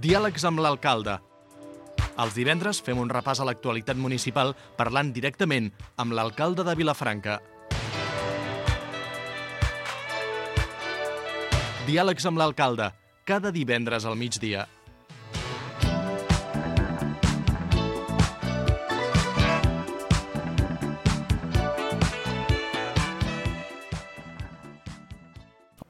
Diàlegs amb l'alcalde. Els divendres fem un repàs a l'actualitat municipal parlant directament amb l'alcalde de Vilafranca. Diàlegs amb l'alcalde, cada divendres al migdia.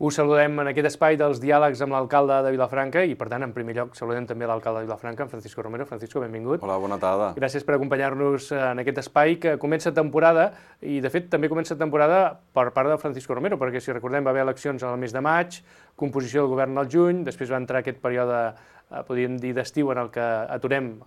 Us saludem en aquest espai dels diàlegs amb l'alcalde de Vilafranca i, per tant, en primer lloc, saludem també l'alcalde de Vilafranca, en Francisco Romero. Francisco, benvingut. Hola, bona tarda. Gràcies per acompanyar-nos en aquest espai que comença temporada i, de fet, també comença temporada per part de Francisco Romero, perquè, si recordem, va haver eleccions al mes de maig, composició del govern al juny, després va entrar aquest període, podríem dir, d'estiu en el que aturem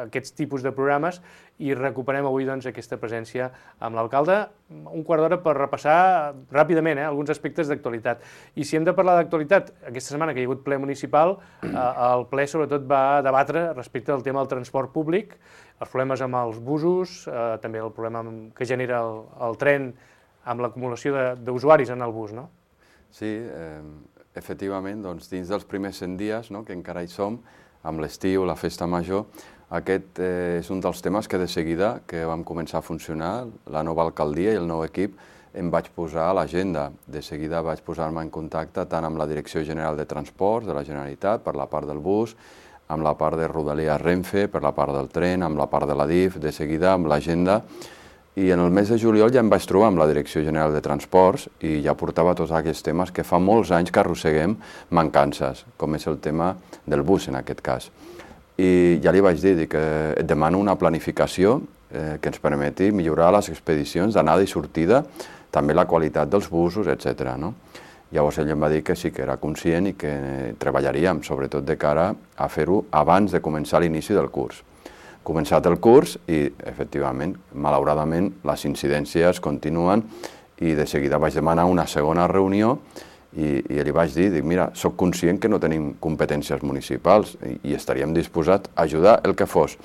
aquests tipus de programes i recuperem avui doncs, aquesta presència amb l'alcalde. Un quart d'hora per repassar ràpidament alguns aspectes d'actualitat. I si hem de parlar d'actualitat, aquesta setmana que hi ha hagut ple municipal, el ple sobretot va debatre respecte al tema del transport públic, els problemes amb els busos, també el problema que genera el tren amb l'acumulació d'usuaris en el bus, no? Sí, efectivament, doncs, dins dels primers 100 dies, no, que encara hi som, amb l'estiu, la festa major, aquest és un dels temes que de seguida que vam començar a funcionar, la nova alcaldia i el nou equip, em vaig posar a l'agenda. De seguida vaig posar-me en contacte tant amb la Direcció General de Transports de la Generalitat, per la part del bus, amb la part de Rodalies Renfe, per la part del tren, amb la part de la DIF, de seguida amb l'agenda. I en el mes de juliol ja em vaig trobar amb la Direcció General de Transports i ja portava tots aquests temes que fa molts anys que arrosseguem mancances, com és el tema del bus en aquest cas. I ja li vaig dir que et demano una planificació que ens permeti millorar les expedicions d'anada i sortida, també la qualitat dels busos, etc. Llavors ell em va dir que sí que era conscient i que treballaríem, sobretot de cara a fer-ho abans de començar l'inici del curs. Començat el curs i, efectivament, malauradament, les incidències continuen i de seguida vaig demanar una segona reunió i li vaig dir, mira, soc conscient que no tenim competències municipals i estaríem disposats a ajudar el que fos.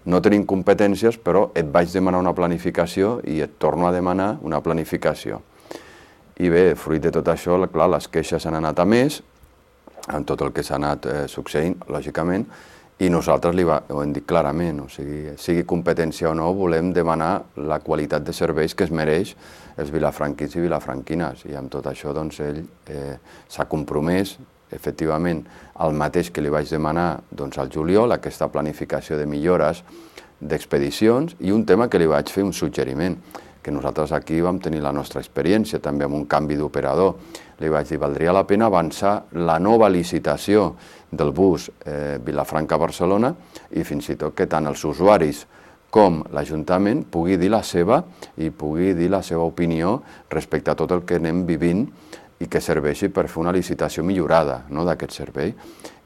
No tenim competències, però et vaig demanar una planificació i et torno a demanar una planificació. I bé, fruit de tot això, clar, les queixes han anat a més, amb tot el que s'ha anat succeint, lògicament, i nosaltres ho hem dit clarament, o sigui competència o no, volem demanar la qualitat de serveis que es mereix els vilafranquins i vilafranquines. I amb tot això doncs, ell s'ha compromès, efectivament, el mateix que li vaig demanar al juliol, aquesta planificació de millores d'expedicions, i un tema que li vaig fer un suggeriment, que nosaltres aquí vam tenir la nostra experiència, també amb un canvi d'operador. Li vaig dir, valdria la pena avançar la nova licitació del bus Vilafranca-Barcelona i fins i tot que tant els usuaris com l'Ajuntament pugui dir la seva opinió respecte a tot el que anem vivint i que serveixi per fer una licitació millorada d'aquest servei.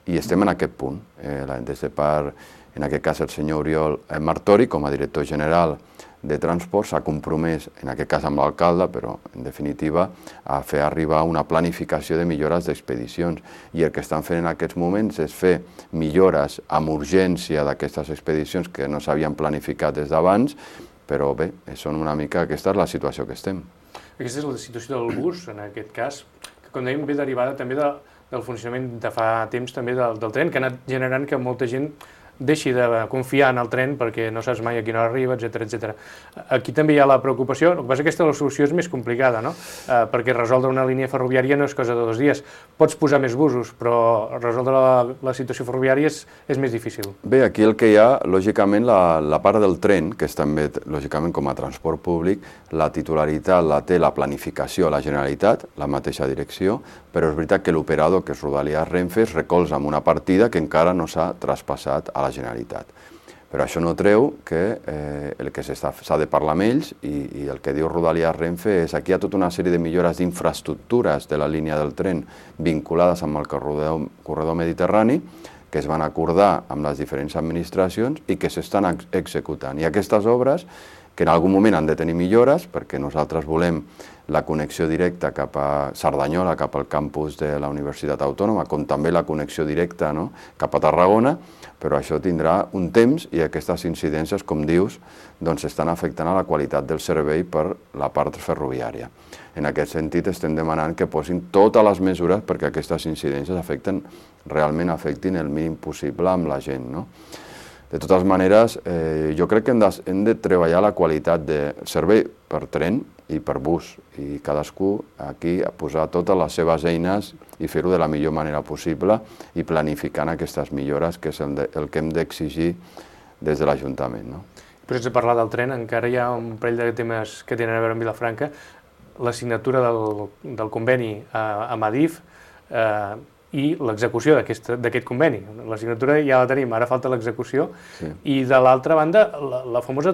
I estem en aquest punt. Des de part, en aquest cas, el senyor Oriol Martori, com a director general de Transport, s'ha compromès, en aquest cas amb l'alcalde, però en definitiva, a fer arribar una planificació de millores d'expedicions. I el que estan fent en aquests moments és fer millores amb urgència d'aquestes expedicions que no s'havien planificat des d'abans, però bé, són una mica, aquesta és la situació que estem. Aquesta és la situació del bus, en aquest cas, que com dèiem ve derivada també del funcionament de fa temps també del tren, que ha anat generant que molta gent deixi de confiar en el tren perquè no saps mai a quina hora arriba, etc. Aquí també hi ha la preocupació, el que passa és que la solució és més complicada, no? Perquè resoldre una línia ferroviària no és cosa de 2 dies. Pots posar més busos, però resoldre la situació ferroviària és més difícil. Bé, aquí el que hi ha, lògicament, la part del tren, que és també, lògicament, com a transport públic, la titularitat la té la planificació a la Generalitat, la mateixa direcció, però és veritat que l'operador, que és Rodalies Renfe, es recolza amb una partida que encara no s'ha traspassat a la Generalitat. Però això no treu que el que s'ha de parlar amb ells i el que diu Rodalies Renfe és que aquí hi ha tota una sèrie de millores d'infraestructures de la línia del tren vinculades amb el corredor mediterrani que es van acordar amb les diferents administracions i que s'estan executant. I aquestes obres que en algun moment han de tenir millores, perquè nosaltres volem la connexió directa cap a Cerdanyola, cap al campus de la Universitat Autònoma, com també la connexió directa, no?, cap a Tarragona, però això tindrà un temps i aquestes incidències, com dius, doncs estan afectant a la qualitat del servei per la part ferroviària. En aquest sentit, estem demanant que posin totes les mesures perquè aquestes incidències realment afectin el mínim possible amb la gent, no? De totes maneres, jo crec que hem de treballar la qualitat del servei per tren i per bus, i cadascú aquí posar totes les seves eines i fer-ho de la millor manera possible i planificant aquestes millores, que és el que hem d'exigir des de l'Ajuntament, no? Però sense parlar del tren, encara hi ha un parell de temes que tenen a veure amb Vilafranca. La signatura del conveni amb Adif i l'execució d'aquest conveni. La signatura ja la tenim, ara falta l'execució. Sí. I de l'altra banda, la famosa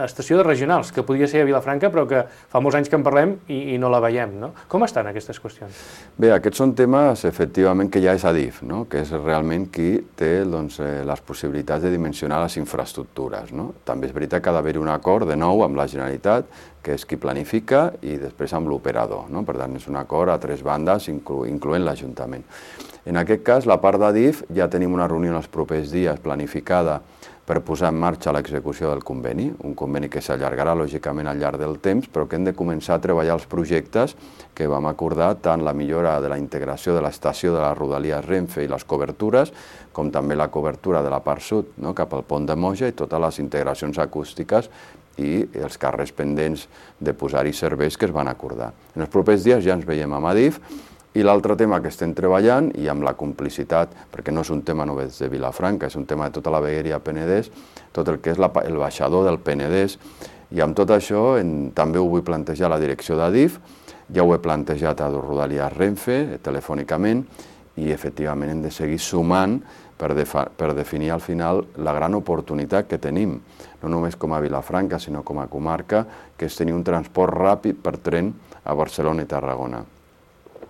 estació de regionals, que podia ser a Vilafranca, però que fa molts anys que en parlem i no la veiem, no? Com estan aquestes qüestions? Bé, aquests són temes, efectivament, que ja és Adif, no?, que és realment qui té les possibilitats de dimensionar les infraestructures, no? També és veritat que ha d'haver un acord, de nou, amb la Generalitat, que és qui planifica, i després amb l'operador, no? Per tant, és un acord a tres bandes, incloent l'Ajuntament. En aquest cas, la part d'Adif, ja tenim una reunió en els propers dies planificada per posar en marxa l'execució del conveni, un conveni que s'allargarà, lògicament, al llarg del temps, però que hem de començar a treballar els projectes que vam acordar, tant la millora de la integració de l'estació de les Rodalies Renfe i les cobertures, com també la cobertura de la part sud, no?, cap al pont de Moja, i totes les integracions acústiques i els carrers pendents de posar-hi serveis que es van acordar. En els propers dies ja ens veiem amb Adif, i l'altre tema que estem treballant, i amb la complicitat, perquè no és un tema només de Vilafranca, és un tema de tota la vegueria Penedès, tot el que és el baixador del Penedès, i amb tot això també ho vull plantejar a la direcció d'Adif, ja ho he plantejat a Rodalies Renfe, telefònicament, i efectivament hem de seguir sumant per definir al final la gran oportunitat que tenim, no només com a Vilafranca, sinó com a comarca, que és tenir un transport ràpid per tren a Barcelona i Tarragona.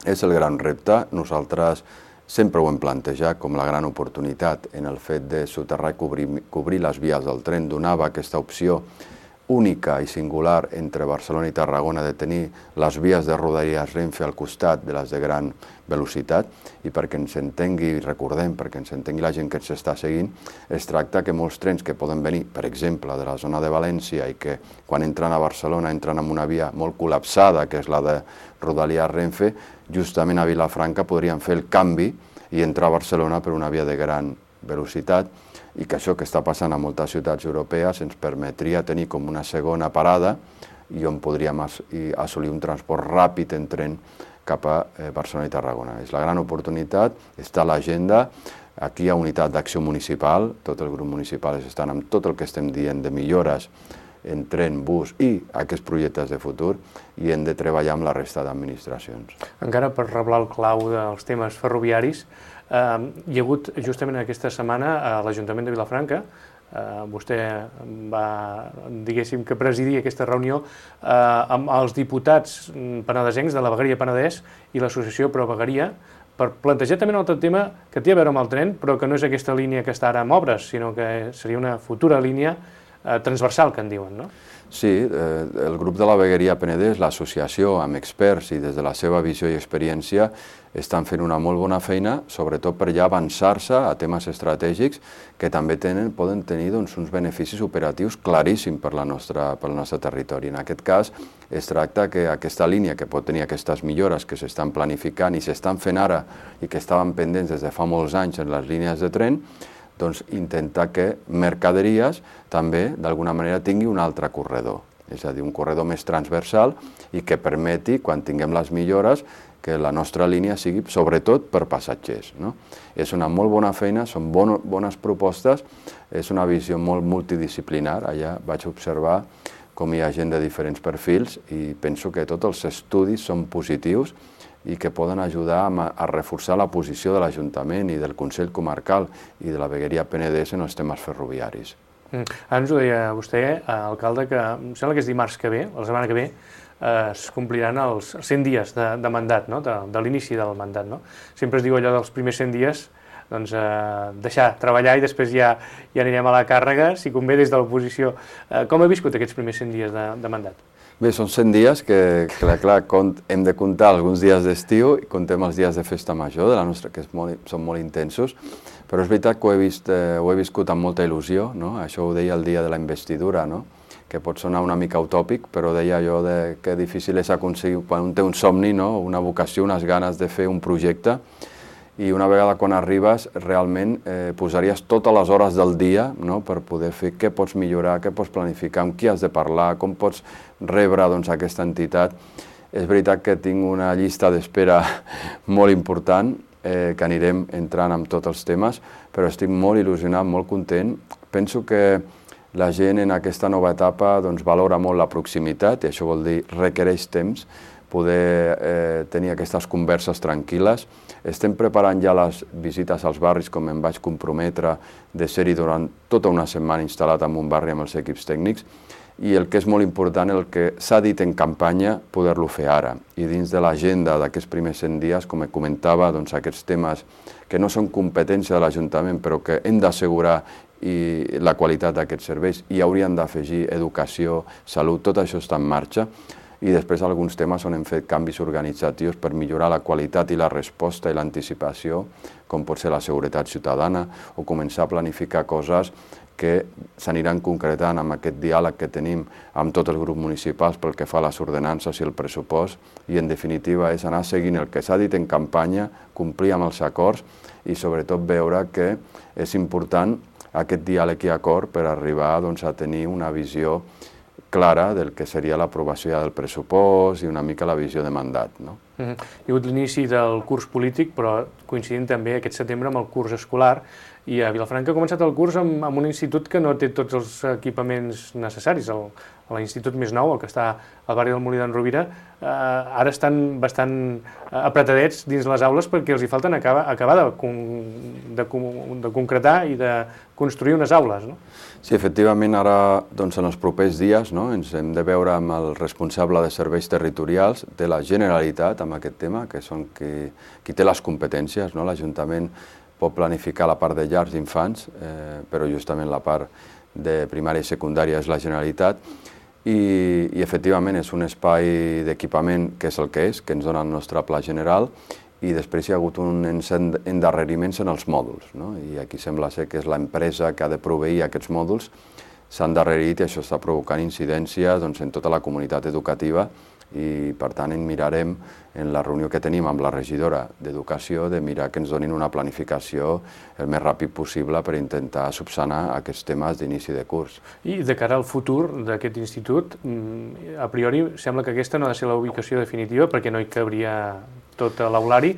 És el gran repte. Nosaltres sempre ho hem plantejat com la gran oportunitat en el fet de soterrar i cobrir les vies del tren. Donava aquesta opció única i singular entre Barcelona i Tarragona de tenir les vies de Rodalies Renfe al costat de les de gran velocitat, i perquè ens entengui, recordem, perquè ens entengui la gent que ens està seguint, es tracta que molts trens que poden venir, per exemple, de la zona de València, i que quan entren a Barcelona entren en una via molt col·lapsada, que és la de Rodalies Renfe, justament a Vilafranca podrien fer el canvi i entrar a Barcelona per una via de gran velocitat, i que això que està passant a moltes ciutats europees ens permetria tenir com una segona parada i on podríem assolir un transport ràpid en tren cap a Barcelona i Tarragona. És la gran oportunitat, està a l'agenda. Aquí hi ha unitat d'acció municipal, tot el grup municipal estan amb tot el que estem dient de millores en tren, bus i aquests projectes de futur, i hem de treballar amb la resta d'administracions. Encara per reblar el clau dels temes ferroviaris, hi ha hagut justament aquesta setmana a l'Ajuntament de Vilafranca, vostè va, diguéssim, que presidir aquesta reunió amb els diputats penedesencs de la vegueria Penedès i l'associació Pro Vegueria, per plantejar també un altre tema que té a veure amb el tren, però que no és aquesta línia que està ara en obres, sinó que seria una futura línia transversal, que en diuen, no? Sí, el grup de la vegueria Penedès, l'associació amb experts i des de la seva visió i experiència, estan fent una molt bona feina, sobretot per ja avançar-se a temes estratègics que també poden tenir uns beneficis operatius claríssims pel nostre territori. En aquest cas, es tracta que aquesta línia, que pot tenir aquestes millores que s'estan planificant i s'estan fent ara i que estaven pendents des de fa molts anys en les línies de tren, doncs intentar que mercaderies també d'alguna manera tingui un altre corredor, és a dir, un corredor més transversal i que permeti, quan tinguem les millores, que la nostra línia sigui sobretot per passatgers, no? És una molt bona feina, són bones propostes, és una visió molt multidisciplinar. Allà vaig observar com hi ha gent de diferents perfils i penso que tots els estudis són positius i que poden ajudar a reforçar la posició de l'Ajuntament i del Consell Comarcal i de la vegueria Penedès en els temes ferroviaris. Ara ens ho deia vostè, alcalde, que em sembla que és dimarts que ve, la setmana que ve, es compliran els 100 dies de mandat, no? De l'inici del mandat, no? Sempre es diu allò dels primers 100 dies deixar treballar i després ja anirem a la càrrega, si convé des de l'oposició. Com ha viscut aquests primers 100 dies de mandat? Bé, són 100 didies que clar, hem de comptar alguns dies d'estiu i comptem els dies de festa major de la nostra, que són molt intensos, però és veritat que ho he viscut amb molta il·lusió, no? Això ho deia el dia de la investidura, no? Que pot sonar una mica utòpic, però deia jo que difícil és aconseguir, quan un té un somni, no? Una vocació, unes ganes de fer un projecte, i una vegada quan arribes realment posaries totes les hores del dia, no? Per poder fer què pots millorar, què pots planificar, amb qui has de parlar, com pots rebre aquesta entitat. És veritat que tinc una llista d'espera molt important, que anirem entrant amb tots els temes, però estic molt il·lusionat, molt content. Penso que la gent en aquesta nova etapa valora molt la proximitat, i això vol dir requereix temps, poder tenir aquestes converses tranquil·les. Estem preparant ja les visites als barris, com em vaig comprometre de ser-hi durant tota una setmana instal·lat en un barri amb els equips tècnics, i el que és molt important, el que s'ha dit en campanya, poder-lo fer ara. I dins de l'agenda d'aquests primers 100 dies, com comentava, aquests temes que no són competència de l'Ajuntament, però que hem d'assegurar la qualitat d'aquests serveis, i haurien d'afegir educació, salut, tot això està en marxa. I després alguns temes on hem fet canvis organitzatius per millorar la qualitat i la resposta i l'anticipació, com pot ser la seguretat ciutadana, o començar a planificar coses que s'aniran concretant amb aquest diàleg que tenim amb tots els grups municipals pel que fa a les ordenances i el pressupost, i en definitiva és anar seguint el que s'ha dit en campanya, complir amb els acords i sobretot veure que és important aquest diàleg i acord per arribar a tenir una visió clara del que seria l'aprovació ja del pressupost i una mica la visió de mandat. Hi ha hagut l'inici del curs polític, però coincidint també aquest setembre amb el curs escolar, i a Vilafranca ha començat el curs amb un institut que no té tots els equipaments necessaris. L'institut més nou, el que està al barri del Molí d'en Rovira, ara estan bastant apretadets dins les aules perquè els hi falten acabar de concretar i de construir unes aules, no? Sí, efectivament, ara, en els propers dies, ens hem de veure amb el responsable de serveis territorials de la Generalitat amb aquest tema, que són qui té les competències. L'Ajuntament pot planificar la part de llars d'infants, però justament la part de primària i secundària és la Generalitat, i efectivament és un espai d'equipament que és el que és, que ens dona el nostre pla general, i després hi ha hagut uns endarreriments en els mòduls, i aquí sembla ser que és l'empresa que ha de proveir aquests mòduls, s'ha endarrerit i això està provocant incidències en tota la comunitat educativa, i per tant en mirarem en la reunió que tenim amb la regidora d'Educació de mirar que ens donin una planificació el més ràpid possible per intentar subsanar aquests temes d'inici de curs. I de cara al futur d'aquest institut, a priori sembla que aquesta no ha de ser la ubicació definitiva perquè no hi cabria tot l'aulari,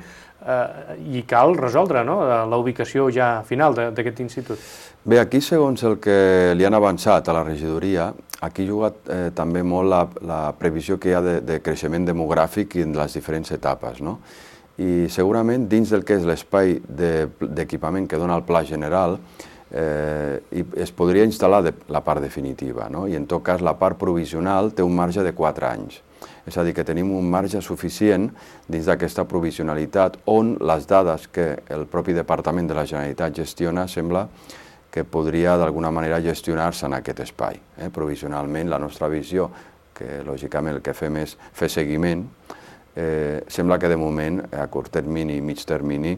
i cal resoldre la ubicació ja final d'aquest institut. Bé, aquí, segons el que li han avançat a la regidoria, aquí ha jugat també molt la previsió que hi ha de creixement demogràfic en les diferents etapes. I segurament dins del que és l'espai d'equipament que dona el pla general es podria instal·lar la part definitiva, i en tot cas la part provisional té un marge de 4 anys. És a dir, que tenim un marge suficient dins d'aquesta provisionalitat on les dades que el propi Departament de la Generalitat gestiona sembla que podria d'alguna manera gestionar-se en aquest espai. Provisionalment, la nostra visió, que lògicament el que fem és fer seguiment, sembla que de moment, a curt termini i mig termini,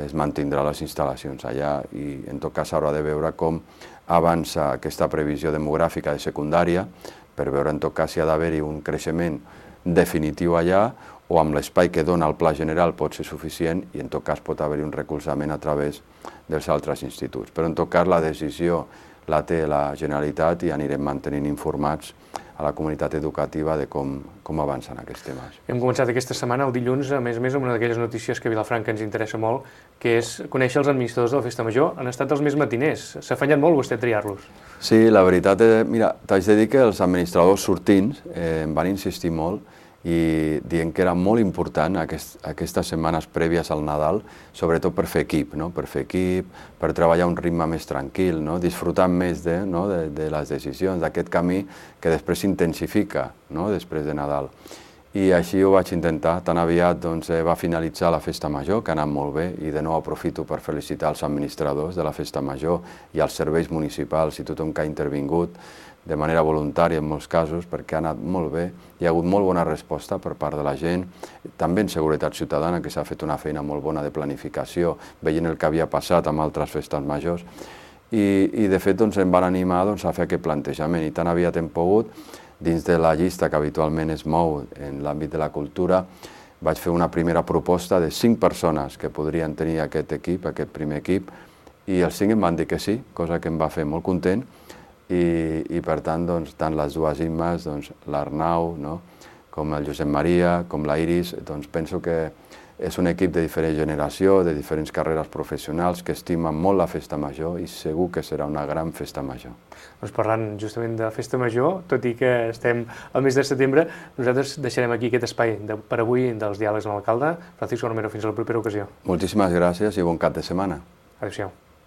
es mantindrà les instal·lacions allà, i en tot cas s'haurà de veure com avança aquesta previsió demogràfica de secundària, per veure en tot cas si ha d'haver-hi un creixement definitiu allà o amb l'espai que dona el pla general pot ser suficient i en tot cas pot haver-hi un recolzament a través dels altres instituts. Però en tot cas la decisió la té la Generalitat i anirem mantenint informats a la comunitat educativa de com avancen aquests temes. Hem començat aquesta setmana, el dilluns, a més amb una d'aquelles notícies que a Vilafranca ens interessa molt, que és conèixer els administradors de la Festa Major. Han estat els més matiners. S'ha afanyat molt vostè a triar-los. Sí, la veritat és, mira, t'haig de dir que els administradors sortints em van insistir molt i dient que era molt important aquestes setmanes prèvies al Nadal, sobretot per fer equip, per treballar a un ritme més tranquil, disfrutant més de les decisions, d'aquest camí que després s'intensifica després de Nadal. i així ho vaig intentar. Tan aviat va finalitzar la festa major, que ha anat molt bé, i de nou aprofito per felicitar els administradors de la festa major i els serveis municipals i tothom que ha intervingut de manera voluntària en molts casos, perquè ha anat molt bé, hi ha hagut molt bona resposta per part de la gent, també en Seguretat Ciutadana, que s'ha fet una feina molt bona de planificació, veient el que havia passat amb altres festes majors, i de fet em van animar a fer aquest plantejament, i tan aviat hem pogut, dins de la llista que habitualment es mou en l'àmbit de la cultura, vaig fer una primera proposta de 5 persones que podrien tenir aquest equip, aquest primer equip, i els 5 em van dir que sí, cosa que em va fer molt content, i per tant, tant les dues Immes, l'Arnau, com el Josep Maria, com la Iris, penso que és un equip de diferent generació, de diferents carreres professionals, que estimen molt la festa major i segur que serà una gran festa major. Parlant justament de festa major, tot i que estem al mes de setembre, nosaltres deixarem aquí aquest espai per avui dels diàlegs amb l'alcalde. Francisco Romero, fins a la propera ocasió. Moltíssimes gràcies i bon cap de setmana. Adéu-siau.